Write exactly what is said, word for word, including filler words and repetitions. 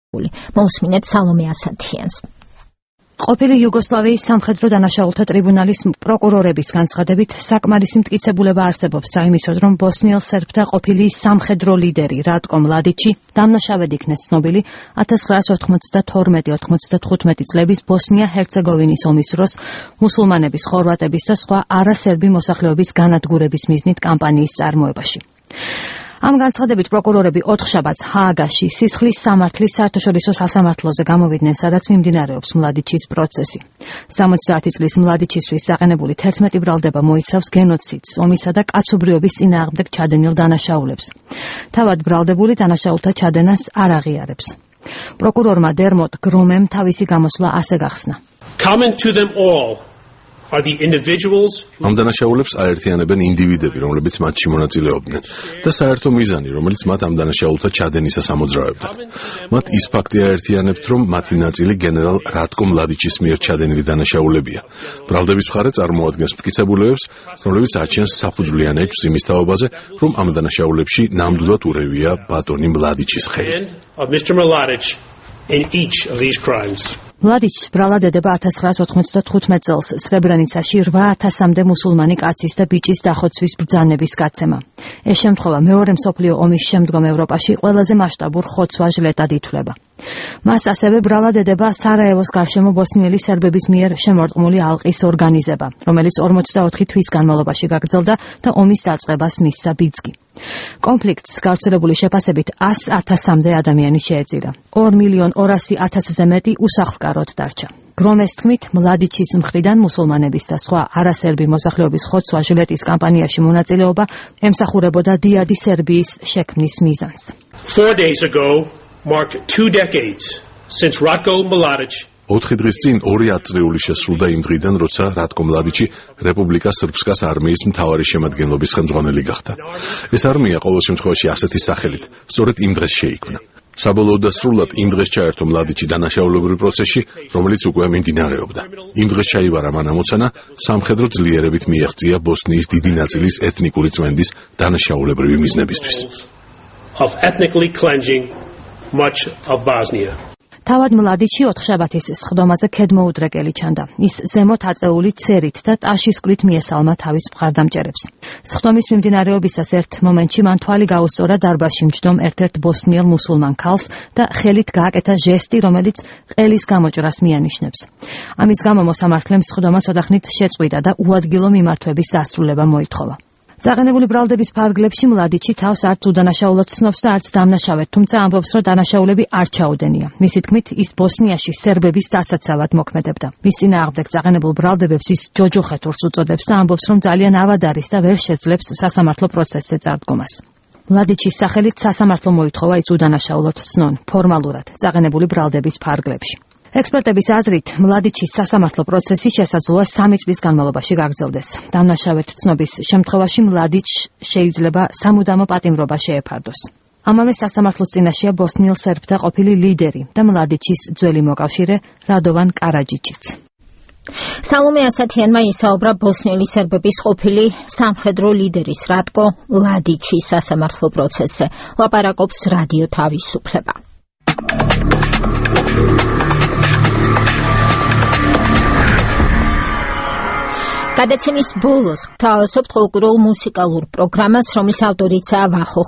მოусმინეთ სალომე ასათიანს. ყოფილი იუგოსლავიის სამხედრო დანაშაულთა ტრიბუნალის პროკურორების განცხადებით საკმარისი მტკიცებულება არსებობს საიმისოდ, რომ ბოსნიელ სერბთა ყოფილი სამხედრო ლიდერი რატკო მლადიჩი დამნაშავედ იქნეს ცნობილი ათას ცხრაასი ოთხმოცდათორმეტი ოთხმოცდათხუთმეტი წლების ბოსნია-ჰერცეგოვინის ომის დროს მუსულმანების, ხორვატების და სხვა არასერბი მოსახლეობის განადგურების მიზნით კამპანიის წარმოებაში. Am განცხადებით პროკურორები ოთხშაბათს ჰააგაში სისხლის სამართლის საერთაშორისო სასამართლოზე გამოვიდნენ, სადაც მიმდინარეობს მლადიჩის პროცესი. სამოცდაათი წლის მლადიჩისთვის საყენებული თერთმეტი ბრალდება მოიცავს გენოციდს, ომისა და კაცობრიობის წინააღმდეგ ჩადენილ დანაშაულებს. თავად ბრალდებული დანაშაულთა ჩადენას არ აღიარებს. პროკურორმა დერმოტ გრომემ თავისი გამოსვლა ასე გახსნა. Common to them all are the individuals ამ დანაშაულებს აერთიანებენ ინდივიდები, რომლებიც მათში მონაწილეობდნენ და საერთო მიზანი, რომელიც მათ ამ დანაშაულთა ჩადენისას ამოძრავებდათ. მათ ის ფაქტი აერთიანებთ, რომ მათი ნაწილი გენერალ რატკო მლადიჩის მიერ ჩადენილი დანაშაულებია. ბრალდების მხარე წარმოადგენს მტკიცებულებებს, რომლებიც აჩენს საფუძვლიან ეჭვს იმის თაობაზე, რომ ამ დანაშაულებში ნამდვილად ურევია ბატონი მლადიჩის ხელი. in each of these crimes. მლადიჩს ბრალად ედება ათას ცხრაასი ოთხმოცდათხუთმეტ წელს სრებრენიცაში რვა ათასამდე მუსულმანი კაცის და ბიჭის დახოცვის ბრძანების გაცემა. ეს შემთხვევა მეორე მსოფლიო ომის შემდგომ ევროპაში ყველაზე მასშტაბურ ხოცვა-ჟლეტად ითვლება. მას ასევე ბრალად ედება სარაევოს გარშემო ბოსნიელი სერბების მიერ შემორტყმული ალყის ორგანიზება, რომელიც ორმოცდაოთხი თვის განმავლობაში გაგრძელდა და ომის დაწყებას მისცა ბიძგი. კონფლიქტს გავრცელებული შეფასებით ას ათასამდე ადამიანი შეეწირა. ორ მილიონ ორასი ათასზე მეტი უსახლკაროდ დარჩა. გრომეს თქმით, მლადიჩის მხრიდან მუსულმანების და სხვა არასერბი მოსახლეობის ხოცვა-ჟლეტის კამპანიაში მონაწილეობა ემსახურებოდა დიადი სერბიის შექმნის მიზანს. Four days ago marked two decades since Ratko Mladic ოთხი დღის წინ ორი ათწლეული შესრულდა იმ დღიდან, როცა რატკო მლადიჩი რეპუბლიკა სრბსკას არმიის მთავარი შემადგენლობის ხელმძღვანელი გახდა. ეს არმია ყოველ შემთხვევაში ასეთი სახელით, სწორედ იმ დღეს შეიქმნა. საბოლოოდ და სრულად იმ დღეს ჩაერთო მლადიჩი დანაშაულებრივ პროცესში, რომელიც უკვე მიმდინარეობდა. იმ დღეს ჩაიბარა მან ამოცანა სამხედრო ძლიერებით მიაღწია ბოსნიის დიდი ნაწილის ეთნიკური წმენდის დანაშაულებრივი მიზნებისთვის. of ethnically cleansing much of Bosnia. თავად მლადიჩი ოთხშაბათის სხდომაზე ქედმოუდრეკელი ჩანდა. ის ზემოთ აწეული ცერით და ტაშისკვრით მიესალმა თავის მხარდამჭერებს. სხდომის მიმდინარეობისას ერთ მომენტში მან თვალი გაუსწორა დარბაზში მჯდომ ერთ-ერთ ბოსნიელ მუსულმან ქალს და ხელით გააკეთა ჟესტი, რომელიც ყელის გამოჭრას მიანიშნებს. ამის გამო მოსამართლემ სხდომა ცოტახნით შეწყვიტა და უადგილო მიმართვების დასრულება მოითხოვა. Ზაღენებული ბრალდების ფარგლებში მლადიჩი თავს არც უდანაშაულოდ ცნობს და არც დამნაშავედ, თუმცა ამბობს, რომ დანაშაულები არ ჩაუდენია. მისი თქმით, ის ბოსნიაში სერბების დასაცავად მოქმედებდა. მის წინააღმდეგ ზაღენებულ ბრალდებებს ის ჯოჯოხეთურს უწოდებს და ამბობს, რომ ძალიან ავად არის და ვერ შეძლებს სასამართლო პროცესზე წარდგომას. მლადიჩის სახელით სასამართლო მოითხოვა ის უდანაშაულოდ ცნონ ფორმალურად ზაღენებული ბრალდების ფარგლებში. ექსპერტების აზრით, მლადიჩის სასამართლო პროცესი შესაძლოა სამი წლის განმავლობაში გაგრძელდეს. დამნაშავედ ცნობის შემთხვევაში მლადიჩ შეიძლება სამუდამო პატიმრობა შეეფარდოს. ამავე სასამართლოს წინაშეა ბოსნიელ სერბთა ყოფილი ლიდერი და მლადიჩის ძველი მოკავშირე რადოვან კარაჯიჩიც. სალომე ასათიანმა ისაუბრა ბოსნიელი სერბების ყოფილი სამხედრო ლიდერის რატკო მლადიჩის სასამართლო პროცესზე. ლაპარაკობს რადიო თავისუფლება. გადაცემის ბოლოს გთავაზობთ ფოლკლორულ მუსიკალურ პროგრამას, რომლის ავტორიცაა ვახო